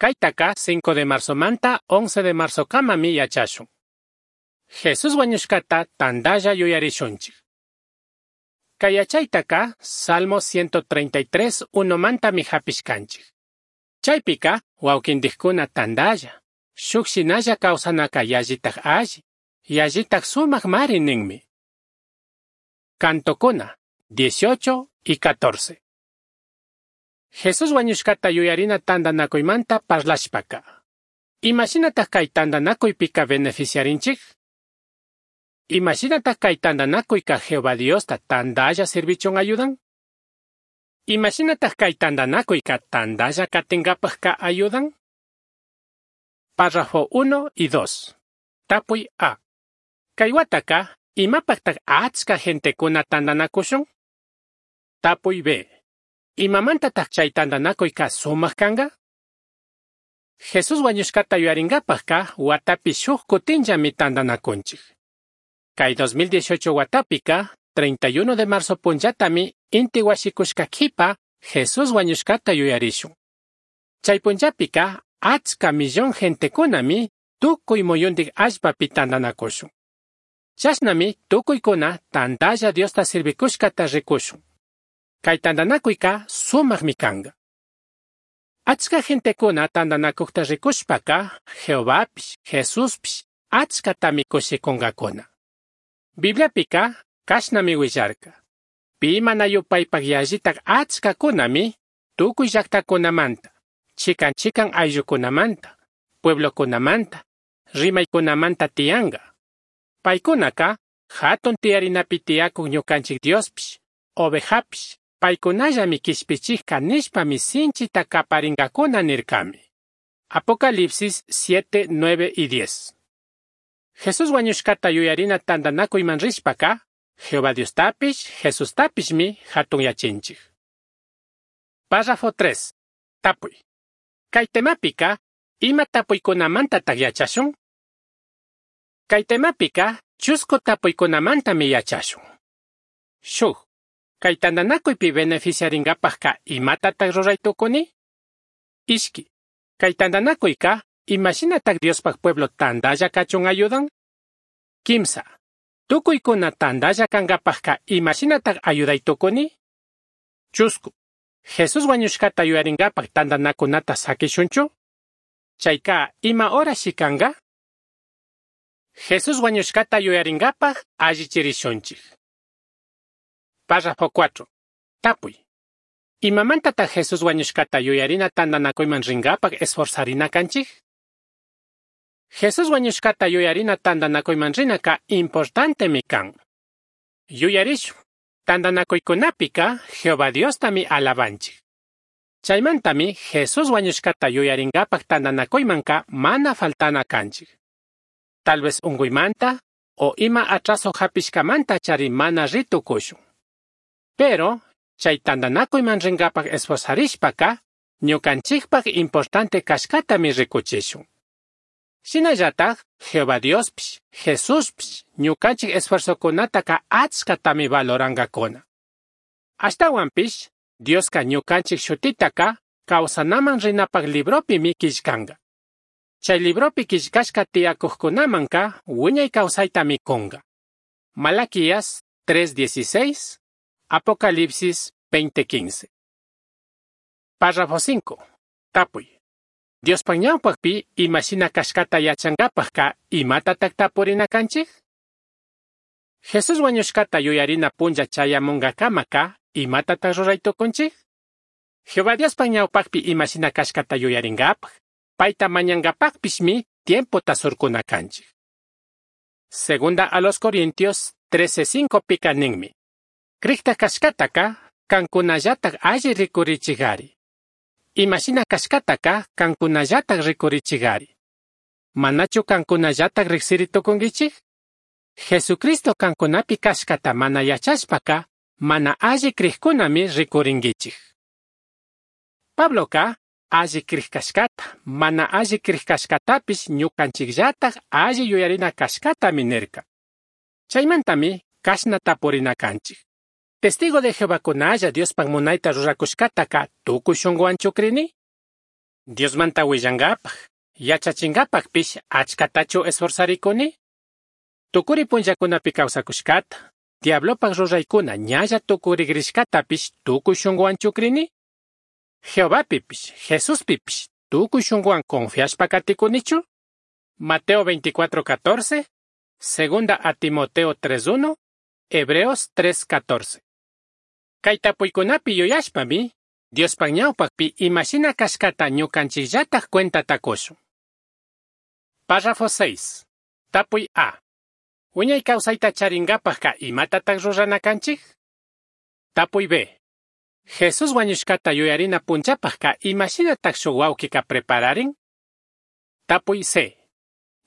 Caitaca 5 de marzomanta 11 de marzokamami yachashun. Jesús huañushkata tandalla yuyarishunchik. Kay yachaytaka Salmo 133 unomantami hapishkanchik. Chaypika wawkintikkuna tandalla, shuk shinalla kawsanaka yallitak alli, yallitak sumak mari ninmi. Cantokuna 18 y 14. Jesús wañushkata yuyarina tandanakuymanta parlashpaka. Imashinatak kay tandanakuypika beneficiarinchik? Imashinatak kay tandanakuyka Jehová Diosta tandalla sirvichun ayudan? Imashinatak kay tandanakuyka tandalla katinkapakka ayudan? Párrafo 1 y 2. Tapuy A. Kay wataka, imapaktak achka gentekuna tandanakushun? Tapuy B. Imamantatak chay tandanakuyka sumak kanka? Jesús wañushkata yuyarinkapakka watapi shuk kutinllami tandanakunchik. Kay 2018 watapika 31 de marzo punllatami inti washikushka kipa Jesús wañushkata yuyarishun. Chay punllapika achka millón gentekunami tukuy muyuntik allpapi tandanakushun. Chashnami tukuykuna tandalla Diosta sirvikushkata rikushun. Kay tandanakuyka sumakmi kanka. Achka gentekuna tandanakukta rikushpaka Jehovapish, Jesuspish achkatami kushikunkakuna. Bibliapika kashnami willarka. Pi mana yupaypak yallitak achkakunami tukuy llaktakunamanta, chikan chikan ayllukunamanta, pueblokunamanta, rimaykunamanta tiyanka. Paykunaka hatun tiyarinapi tiyakuk ñukanchik Diospish, ovejapish, paykunallami kishpichikka nishpami sinchita kaparinkakuna nirkami. Apocalipsis 7, 9 y 10. Jesús wañushkata yuyarina tandanakuyman rishpaka, Jehová Diostapish, Jesustapishmi hatunyachinchik. Párrafo 3. Tapuy. Kay temapika, ima tapuykunamantataq yachashun? Kay temapika, chusku tapuykunamantami yachashun. Shuk. Kay tandanakuypi beneficiarinkapakka imatataq ruray tukuni? Ishki. Kay tandanakuyka, imashinatak Diospaj pueblo tandalla kachun ayudan? Kimsa. Tukuykuna tandalla kankapakka imashinatak ayuday tukuni? Chusku. Jesús wañushkata yuyarinkapak tandanakunata sakishunchu? Chayka ima horashi kanka? Jesús wañushkata yuyarinkapak allichirishunchik. Párrafo 4. Tapuy. Imamantataq Jesús wañushkata yuyarina tandanakuyman rinkapak esforzarina kanchik? Jesús wañushkata yuyarina tandanakuyman rinaka importantemi kan. Yuyarishun, tandanakuykunapika Jehová Diostami alabanchik. Chaymantami Jesús wañushkata yuyarinkapak tandanakuymanka mana faltana kanchik. Tal vez unkuymanta o ima atraso hapishkamanta chari mana ritukushun. Pero, chay tandanakuyman rinkapak esforzarishpaka, ñukanchikpak importante kashkatami rikuchishun. Shinallatak, Jehová Diospish, Jesuspish, ñukanchik esfuerzokunataka achkatami valorankakuna. Ashtawanpish, Dioska ñukanchik shutitaka kawsanaman rinapak libropimi killkanka. Chay libropi killkashka tiyakuqkunamanka wiñay kawsaytami kunka. Malaquías 3:16, Apocalipsis 20:15. Párrafo 5. Tapuy. Diospaj ñawpakpi imashina kashkata yachankapakka imatataq tapurina kanchik? Jesús wañushkata yuyarina punlla chayamunkakamaka imatataq ruray tukunchik? Jehová Diospaj ñawpakpi imashina kashkata yuyarinkapak, payta mañankapakpishmi tiempota surkuna kanchik. Segunda a los Corintios 13:5 pika ninmi. Krikta kashkataka kankunallatak alli rikurichikari. Imashina kashkataka kankunallatak rikurichikari. Manachu kankunallatak riksiri tukunkichik? Jesucristo kankunapi kashkata mana yachashpaka mana alli krikkunami rikurinkichik. Pabloka alli krij kashkata, mana alli krij kashkatapish ñukanchikllatak alli yuyarina kashkatami nirka. Chaymantami kashna tapurina kanchik. Testigo de Jehovakunalla Diospaj munayta rurakushkataka tukuy shunkuwanchu krini? Diosmanta huillangapaj, yachachingapajpish achcatachu esforzaricuni? Tucuri punllacunapi causacushcata, diablopaj ruraicuna ñalla tucurigrishcatapish tucui shunguhuanchu crini? Jehovapipish, Jesuspipish tucui shunguhuan confiashpa caticunichu? Mateo 24:14, Segunda a Timoteo 3:1, Hebreos 3:14. Kay tapuykunapi yuyashpami, Diospaj ñawpajpi imashina cashcata ñukanchikllataj cuentata cushun. Párrafo 6. Tapuy A. Wiñay kawsayta charingapajka imatataj rurana kanchik? Tapuy B. Jesús wañushkata yuyarina punllapajka imashinataj shuk wawkika prepararin? Tapuy C.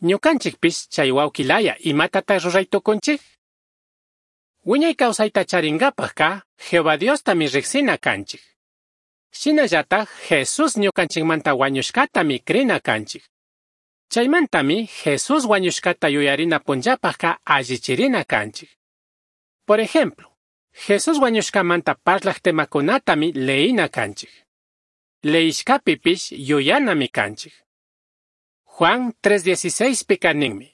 Ñukanchikpish chay wawkilaya imatataj ruray tukunchik? Wiñay kawsayta charingapajka Jehová Diostami riksina kanchik. Shinallataj Jesús ñukanchikmanta wañushkatami crina kanchik. Chaymantami Jesús wañushkata yuyarina punllapajka allichirina kanchik. Por ejemplo, Jesús wañushkamanta parlaj temakunatami leina kanchik. Leishkapipish yuyanami kanchik. Juan 3.16 pika ninmi.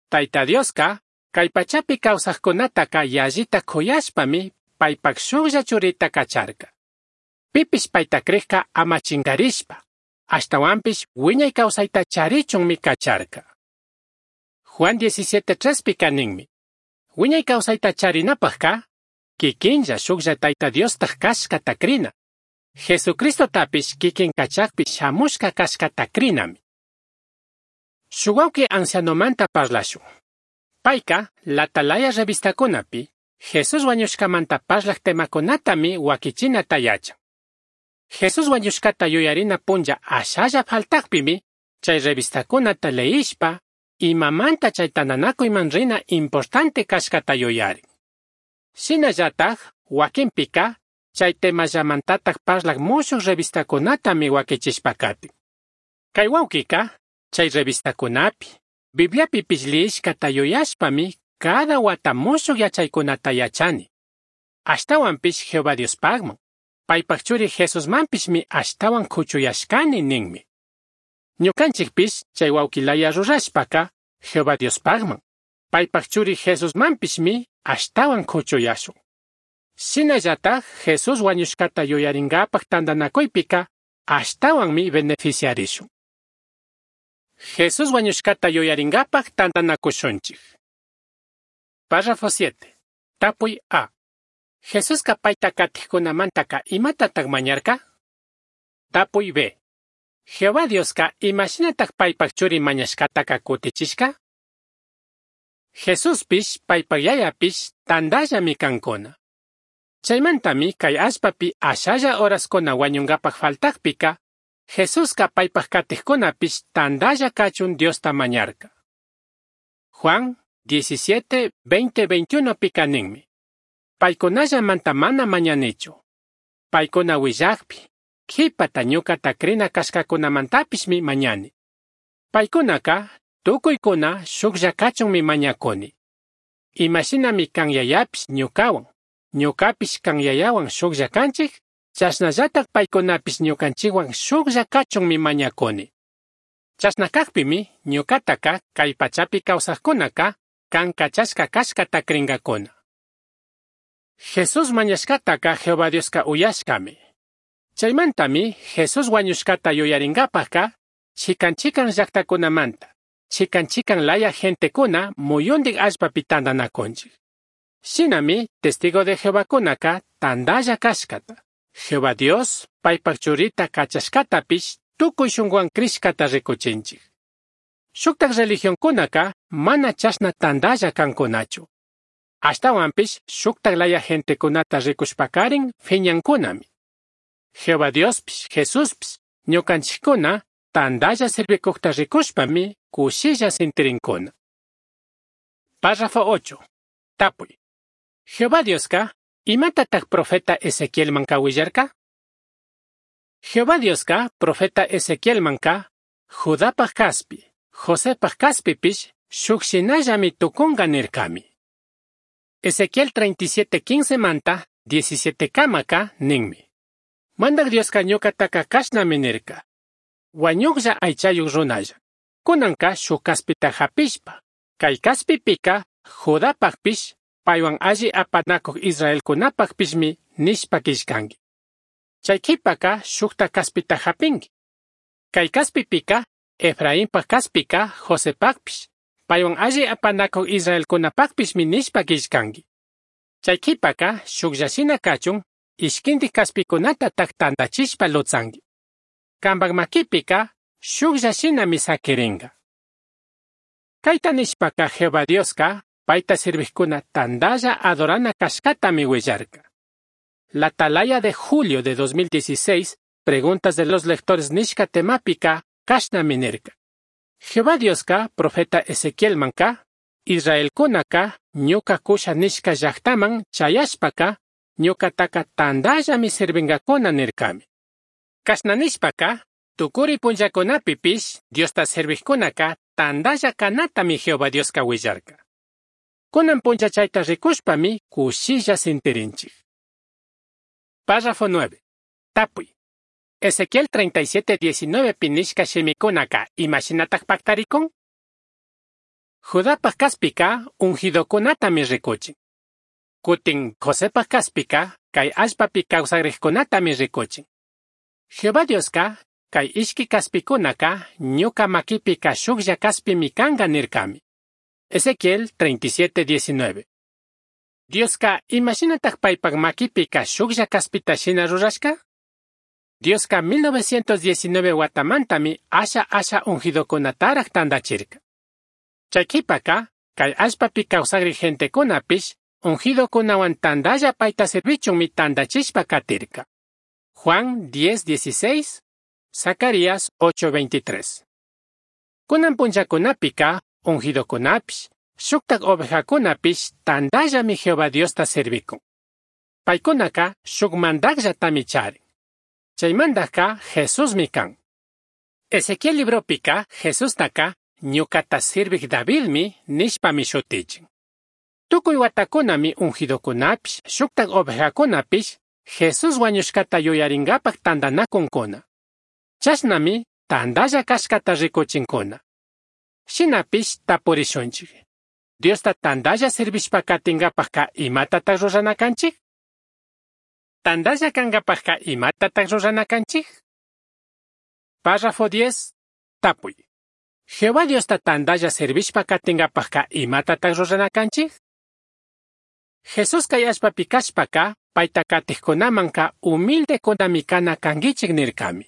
Tayta Dioska, kay pachapi kawsajkunataka yallita kuyashpami paypak shuklla churita kacharka. Pipish payta krikka ama chinkarishpa, ashtawanpish wiñay kawsayta charichunmi kacharka. Juan 17.3 pika ninmi. Wiñay kawsayta charinapajka, kikinlla shuklla Tayta Diostaj kashkata krina. Jesucristotapish kikin kachakpi shamushka kashkata krinami. Shuk wawki ancianomanta parlashun. Payka, La Atalaya revistakunapi, Jesús wañushkamanta parlaj temakunatami wakichinata yachan. Jesús wañushkata yuyarina punlla ashalla faltakpimi, chay revistakunata leishpa, imamanta chay tantanakuyman rina importante kashkata yuyarin. Shinallataj, wakinpika, chay temallamantataj parlaj mushuj revistakunatami wakichishpa katin. Kay wawkika, chay revistakunapi, Bibliapipish liyishkata yuyashpami cada wata mushuj yachaykunata yachani. Ashtawanpish Jehová Diospajman, paypaj churi Jesusmanpishmi ashtawan kuchuyashkani ninmi. Ñukanchikpish chay wawkilaya rurashpaka Jehová Diospajman, paypaj churi Jesusmanpishmi ashtawan kuchuyashun. Shinallataj Jesús wañushkata yuyaringapaj tantanakuypika ashtawanmi beneficiarishun. Jesús wañushkata yuyaringapaj tantanakushunchik. Párrafo 7. Tapuy A. Jesuska payta katijkunamantaka imatataj mañarka? Tapuy B. Jehová Dioska imashinataj paypaj churi mañashkataka kutichishka? Jesuspish paypaj yayapish tandallami kankuna. Chaymantami kay allpapi ashalla horaskuna wañungapaj faltakpika, Jesuska paypaj katijkunapish tandalla kachun Diosta mañarka. Juan 17, 20, 21 pika ninmi. Paykunallamanta mana mañanichu. Paykuna willakpi, qhipata ñuqata krina kashkakunamantapishmi mañani. Paykunaka tukuykuna shuklla kachunmi mañakuni. Imashinami kan yayapish ñukawan, ñukapish kan yayawan shuklla kanchik, chashnallatak paykunapish ñukanchikwan shuklla kachunmi mañakuni. Chashna kakpimi ñukataka kay pachapi kawsaqkunaka kan kachashka kashkata krinkakuna. Jesús mañashkataka Jehová Dioska uyashkami. Chaymantami Jesús wañushkata yuyaringapajka chikan chikan llaqtakunamanta, chikan chikan laya gentekuna muyundik allpapi tantanakunchik. Shinami testigo de Jehovakunaka tandalla kashkata. Jehová Dios paypaj churita kachashkatapish tukuy shunguwan krishkata rikuchinchik. Shuktak religionkunaka mana chashna tandalla kankunachu. Ashtawanpish shuktak laya gentekunata rikushpakarin phiñankunami. Jehová Diospish, Jesuspish, ñukanchikkuna tandalla sirvikukta rikushpami kushilla sintirinkuna. Párrafo 8. Tapuy. Jehová Dioska, imatataq profeta Ezequielmanka willarka? Jehová Dioska, profeta Ezequielmanka, Judapaj kaspi, Josepaj kaspipish shuk shinallami tukunga nirkami. Ezequiel 37:15 manta 17 kamaka ninmi. Mandak Dioska ñukataka kashnami nirka. Huañujlla aichayuj runalla, cunanca shuj caspita japishpa, cai caspipica Judapajpish, paihuan alli apanacuj israelcunapajpishmi nishpa quillcangui. Chai q'uipaca shujta caspita japingui. Cai caspipica Efrainpaj caspica Josepajpish, paihuan alli apanacuj israelcunapajpishmi nishpa quillcangui. Chai q'uipaca shujlla shina cachun ishquindij caspicunatataj tandachishpa lutsangui. Cambaj maquipica shujlla shinami saquiringa. Caita nishpaca Jehová Diosca paita sirvijcuna tandalla adorana cashcatami huillarca. La Atalaya de julio de 2016, preguntas de los lectores nishca temapica cashnami nirca. Jehová Diosca profeta Ezequielmanca, Israelcunaca ñuca cusha nishca llajtaman chayashpaca ñucataca tandallami sirvingacuna nircami. Cashna nishpaca, tucuri punllacunapipish Diosta sirvijcunaca tandalla canatami Jehová Diosca huillarca. Cunan punlla chaita ricushpami cushilla sintirinchij. Párrafo 9. Tapui. Ezequiel 37:19 pi nishca shimicunaca imashinataj pactaricun? Judapaj caspica ungidocunatami ricuchin. Cutin Josepaj caspica cai allpapi causagrijcunatami ricuchin. Jehová Diosca cai ishqui caspicunaca ñuca maquipica shujlla caspimi canga nircami. Ezequiel 37:19. Diosca imashinataj paipaj maquipica shujlla caspita shina rurashca? Diosca 1919 huatamantami asha asha ungidocunataraj tandachirca. Chai q'uipaca, cai allpapi causagrij gentecunapish ungidocunahuan tandalla paita servichunmi tandachishpa catirca. Juan 10:16, Zacarías 8:23. Cunan punllacunapica ungidocunapish, shujtaj ovejacunapish tandallami Jehová Diosta servicun. Paicunaca shuj mandajllatami charin. Chai mandajca Jesusmi can. Ezequiel libropica Jesustaca ñucata sirvij Davidmi nishpami shutichin. Tucui huatacunami ungidocunapish, shujtaj ovejacunapish Jesús huañushcata yuyaringapaj tandanacuncuna. Chashnami tandalla cashcata ricuchincuna. Shinapish tapurishunchik. Diosta tandalla servishpa catingapajca imatataj rurana canchij? Tandalla cangapajca imatataj rurana canchij? Párrafo 10. Tapui. Jehová Diosta tandalla servishpa catingapajca imatataj rurana canchij? Jesús cai allpapi cashpaca paita catijcunamanca humildecunami cana canguichij nircami.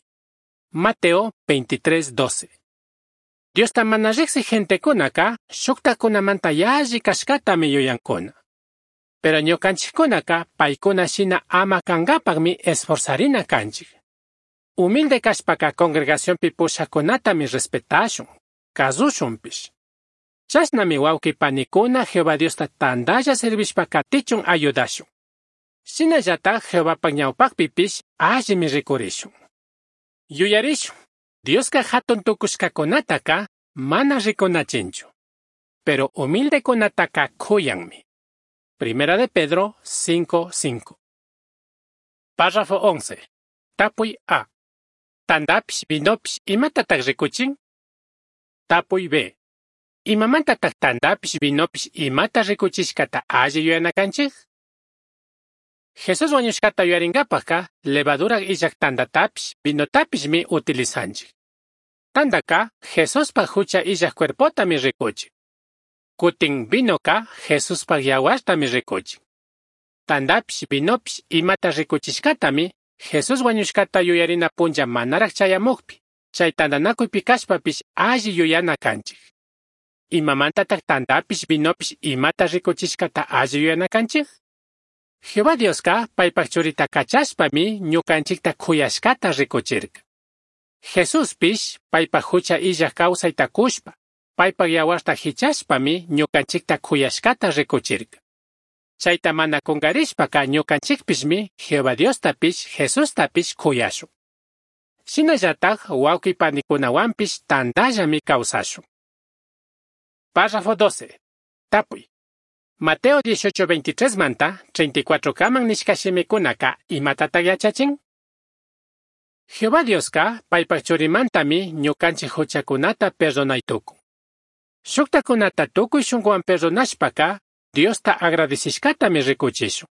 Mateo 23:12. Diosta mana rijsij gentecunaca shujtajcunamanta yalli cashcatami yuyancuna. Pero ñucanchijcunaca paicuna shina ama cangapajmi esforzarina canchij. Humilde cashpaca congregacionpi pushajcunatami respetashun, cazushunpish. Chashnami huauqui panicuna Jehová Diosta tandalla servishpa catichun ayudashun. Shinallataj Jehovapaj ñaupajpipish allimi ricurishun. Yuyarishun, Diosca jatun tucushcacunataca mana ricunachinchu. Pero humildecunataca cuyanmi. Primera de Pedro 5:5. Párrafo 11. Tapui A. Tandapish vinopish imatataj ricuchin? Tapui B. Imamantataj tandapish vinopish imata ricuchishcata alli yuyana canchij? Jesús huañushcata yuyaringapajca levadura illaj tandatapish vinotapishmi utilizanchij. Tandaca Jesuspaj jucha illaj cuerpotami ricuchin. Cutin vinoca Jesuspaj yahuartami ricuchin. Tandapish vinopish imata ricuchishcatami Jesús huañushcata yuyarina punlla manaraj chayamujpi, chai tandanacuypi cashpapish alli yuyana canchij. Imamantataj tandapish vinopish imata ricuchishcata alli yuyana canchij? Jehová Diosca paipaj churita cachashpami ñucanchijta cuyashcata ricuchirca. Jesuspish paipaj jucha illaj causaita cushpa, paipaj yahuarta jichashpami ñucanchijta cuyashcata ricuchirca. Chaita mana cungarishpaca ñucanchijpishmi Jehová Diostapish Jesustapish cuyashun. Shinallataj huauqui panicunahuanpish tandallami causashun. Párrafo 12. Tapui. Mateo 18:23 manta 34 kaman nishka shimikunaka imatataj yachachin? Jehová Diosca paipaj churimantami ñucanchij juchacunata perdonai tucun. Shujtajcunata tucui shunguhuan perdonashpaca Diosta agradecishcatami ricuchishun.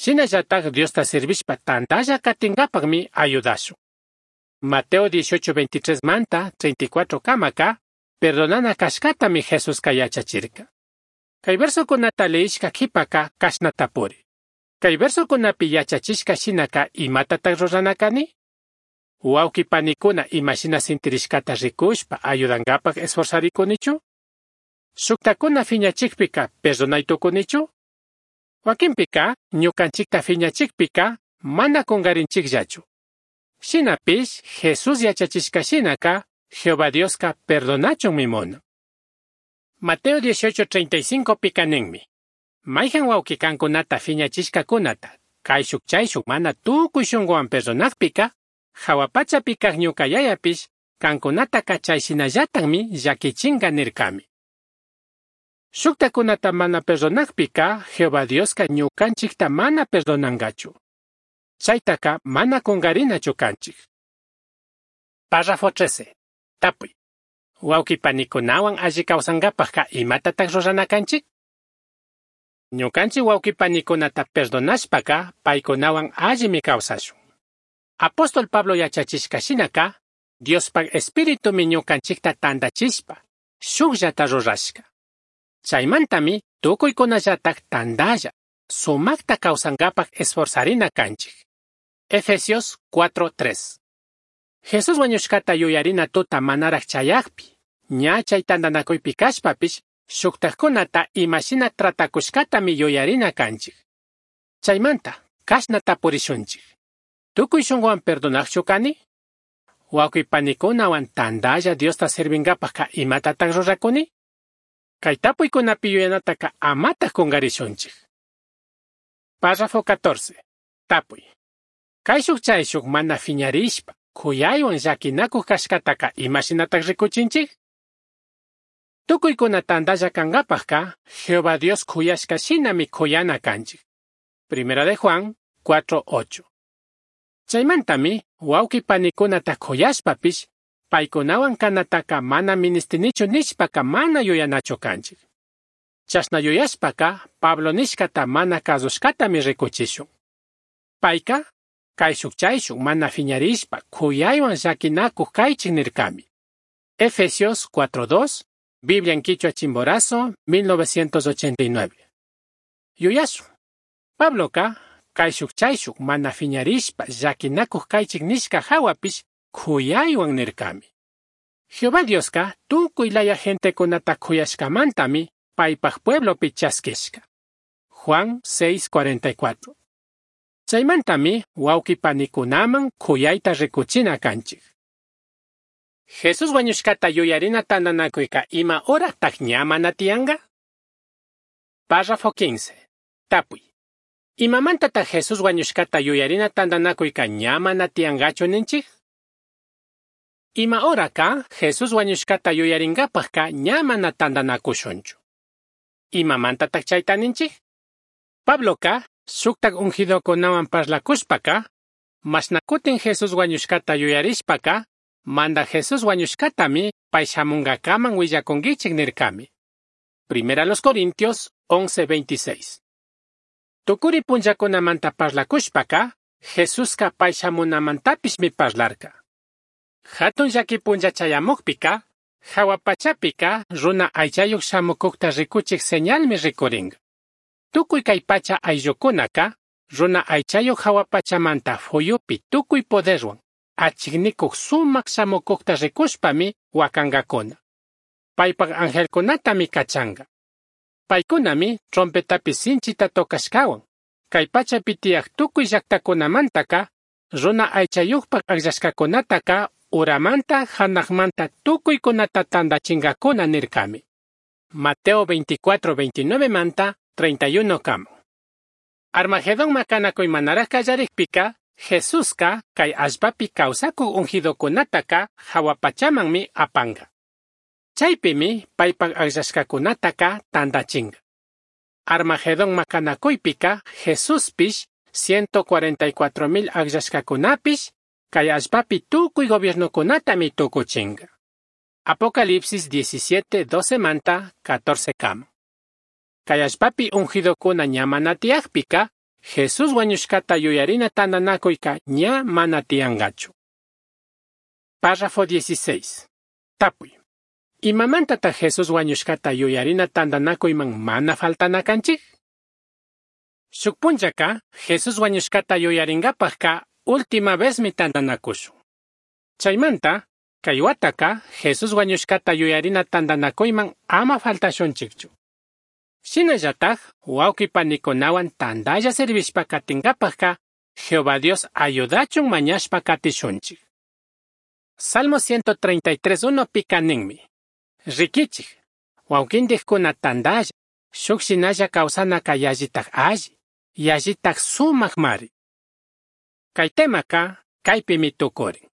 Shinallataj Diosta servishpa tantalla catingapajmi ayudashun. Mateo 18:23 manta 34 kamaka perdonana cashcatami Jesuska yachachirca. Kay versokunata leishka qhipaka kashna tapuri. Kay versokunapi yachachishka shinaka imatataq rurana kani? Wawqi panikuna imashina sintirishkata rikushpa ayudankapaq esforzarikunichu? Shuktakuna phiñachikpika perdonay tukunichu? Wakinpika ñukanchikta phiñachikpika mana kungarinchikllachu. Shinapish Jesús yachachishka shinaka Jehová Dioska perdonachunmi munan. Mateo 18:35 pika ninmi. Mayhan wawqi kankunata phiñachishkakunata kayshuk chayshuk mana tukuy shunquwan perdonakpika hawa pachapi kaq ñuka yayapish kankunataka chayshinallataqmi llakichinka nirkami. Shuktakunata mana perdonakpika Jehová Dioska ñukanchikta mana perdonankachu. Chaytaka mana kungarinachu kanchik. Párrafo 13. Tapuy. Wawqi panikunawan alli kawsankapaqka imatataq rurana kanchik? Ñukanchik wawqi panikunata perdonashpaka paykunawan allimi kawsashun. Apóstol Pablo yachachishka shinaka Diospaj Espiritumi ñukanchikta tantachishpa shukllata rurashka. Chaymantami tukuykunallatak tantalla sumakta kawsankapaq esforzarina kanchik. Efesios 4:3. Jesús wañushkata yuyarina tuta manaraq chayaqpi, ña chay tantanakuypi kashpapish shuktajkunata imashina tratakushkatami yuyarina kanchik. Chaymanta kashna tapurishunchik. Tukuy shunquwan perdonaqchu kani? Wawqi panikunawan tantalla Diosta servinkapaqka imatataq rurakuni? Kay tapuykunapi yuyanataka amataq kungarishunchik. Párrafo 14. Tapuy. Kayshuk chayshuk mana phiñarishpa, kuyaywan llakinakuq kashkataka imashinataq rikuchinchik? Tukuykuna tantalla kankapaqka Jehová Dios kuyashka shinami kuyana kanchik. Primera de Juan 4:8. Chaymantami wawqi panikunata kuyashpapish paykunawan kanataka mana ministinichu nishpaka mana yuyanachu kanchik. Chashna yuyashpaka Pablo nishkata mana kasushkatami rikuchishun. Payka kayshuk chayshuk mana phiñarishpa kuyaywan llakinakuq kaychik nirkami. Efesios 4:2, Biblia en Quichua Chimborazo, 1989. Yuyashun. Pabloka kayshuk chayshuk mana phiñarishpa llakinakuq kaychik nishka hawapish kuyaywan nirkami. Jehová Dioska tukuy laya gentekunata kuyashkamantami paypaj pueblopi chaskishka. Juan 6:44. Chaymantami wawqi panikunaman kuyayta rikuchina kanchik. Jesús wañushkata yuyarina tantanakuyka ima horataq ña mana tiyanka? Párrafo 15. Tapuy. Imamantataq Jesús wañushkata yuyarina tantanakuyka ña mana tiyankachu ninchik? Ima horaka Jesús wañushkata yuyarinkapaqka ña mana tantanakushunchu. Imamantataq chayta ninchik? Pabloka shuktak ungidokunawan parlakushpaka, mashnakutin Jesús wañushkata yuyarishpaka, manda Jesús wañushkatami pay shamunkakaman willakunkichik nirkami. Primera los Corintios 11:26. Tukuri punllakunamanta parlakushpaka, Jesuska pay shamunamantapishmi parlarka. Hatun llaki punlla chayamukpika, hawa pachapika runa aychayuq shamukukta rikuchik señalmi rikurinka. Tukuy kay pacha ayllukunaka, runa aychayuq hawa pachamanta fuyupi tukuy poderwan, achiknikuq sumaq shamukukta rikushpami wakankakuna. Paypaq angelkunatami kachanka. Paykunami trompetapi sinchita tocashkawan, kay pachapi tiyaq tukuy llaqtakunamantaka, runa aychayuqpaq akllashkakunataka uramanta hanaqmanta tukuykunata tantachinkakuna nirkami. Mateo 24:29 manta 31 kama. Armagedón makanakuy manaraq kallarikpika, Jesuska kay allpapi kawsakuq ungidokunataka hawa pachamanmi apanka. Chaypimi paypaq akllashkakunataka tantachinka. Armagedón makanakuypika Jesuspish 144,000 akllashkakunapish Cai allpapi tucui gobiernocunatami tucuchinga. Apocalipsis 17, 12 manta 14 cama. Cai allpapi ungidocuna ña mana tiyajpica, Jesús huañushcata yuyarina tandanacuica ña mana tiyangachu. Párrafo 16. Tapuy. Imamantata Jesús huañushcata yuyarina tandanakuyman mana faltana kanchik? Shuk punllaka, Jesús huañushcata yuyaringapajka última vezmi tandanakushun. Chaymanta, kay wataka Jesús huañushcata yuyarina tandanakuyman ama faltashunchikchu. Shinallataj, wawqi panikunawan tandalla servishpa katingapajka, Jehová Dios ayudachun mañashpa katishunchik. Salmo 133.1 pika ninmi. Riquichik, wawqintikkuna tandalla, shuk shinalla kawsanaka yallitaj alli, yallitaj sumakmari. Kay temaka, kaypimi tukurin.